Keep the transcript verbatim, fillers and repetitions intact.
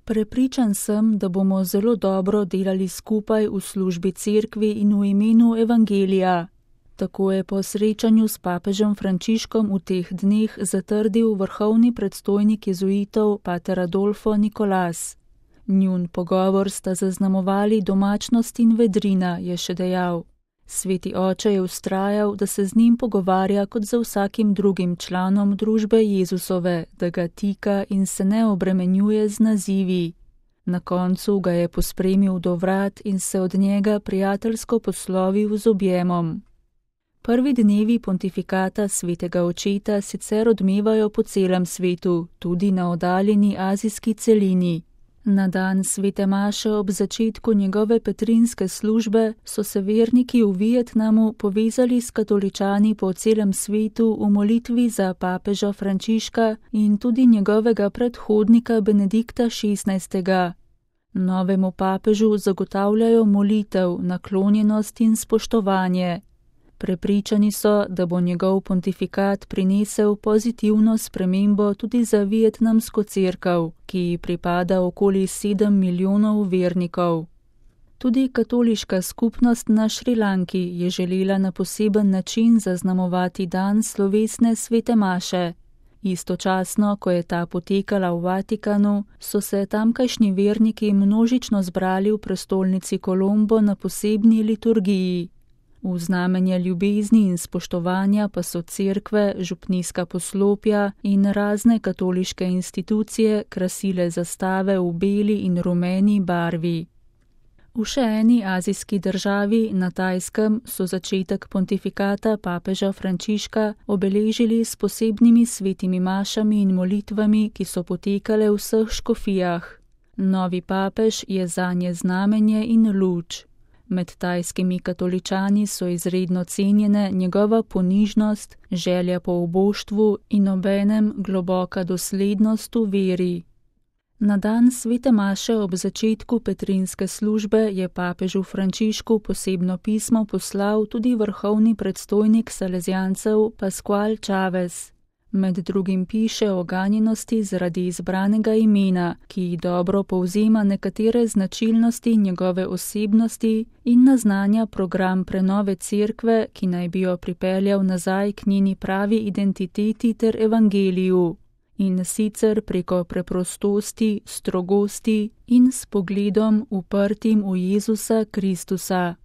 Prepričan sem, da bomo zelo dobro delali skupaj v službi cerkvi in v imenu evangelija. Tako je po srečanju s papežem Frančiškom v teh dneh zatrdil vrhovni predstojnik jezuitov pater Adolfo Nikolas. Njun pogovor sta zaznamovali domačnost in vedrina, je še dejal. Sveti oče je vztrajal, da se z njim pogovarja kot za vsakim drugim članom družbe Jezusove, da ga tika in se ne obremenjuje z nazivi. Na koncu ga je pospremil do vrat in se od njega prijateljsko poslovil z objemom. Prvi dnevi pontifikata svetega očeta sicer odmevajo po celem svetu, tudi na oddaljeni azijski celini. Na dan svete maše ob začetku njegove petrinske službe so se verniki v Vietnamu povezali s katoličani po celem svetu v molitvi za papeža Frančiška in tudi njegovega predhodnika Benedikta šestnajstega. Novemu papežu zagotavljajo molitev, naklonjenost in spoštovanje. Prepričani so, da bo njegov pontifikat prinesel pozitivno spremembo tudi za vietnamsko cerkev, ki ji pripada okoli sedem milijonov vernikov. Tudi katoliška skupnost na Šrilanki je želela na poseben način zaznamovati dan slovesne svete maše. Istočasno, ko je ta potekala v Vatikanu, so se tamkajšnji verniki množično zbrali v prestolnici Kolombo na posebni liturgiji. V znamenje ljubezni in spoštovanja pa so cerkve, župnijska poslopja in razne katoliške institucije krasile zastave v beli in rumeni barvi. V še eni azijski državi, na Tajskem, so začetek pontifikata papeža Frančiška obeležili s posebnimi svetimi mašami in molitvami, ki so potekale v vseh škofijah. Novi papež je zanje znamenje in luč. Med tajskimi katoličani so izredno cenjene njegova ponižnost, želja po oboštvu in obenem globoka doslednost v veri. Na dan svete maše ob začetku petrinske službe je papežu Frančišku posebno pismo poslal tudi vrhovni predstojnik salezjancev Pascual Chavez. Med drugim piše o ganjenosti zaradi izbranega imena, ki dobro povzema nekatere značilnosti njegove osebnosti in naznanja program prenove cerkve, ki naj bi jo pripeljal nazaj k njeni pravi identiteti ter evangeliju. In sicer preko preprostosti, strogosti in s pogledom uprtim v Jezusa Kristusa.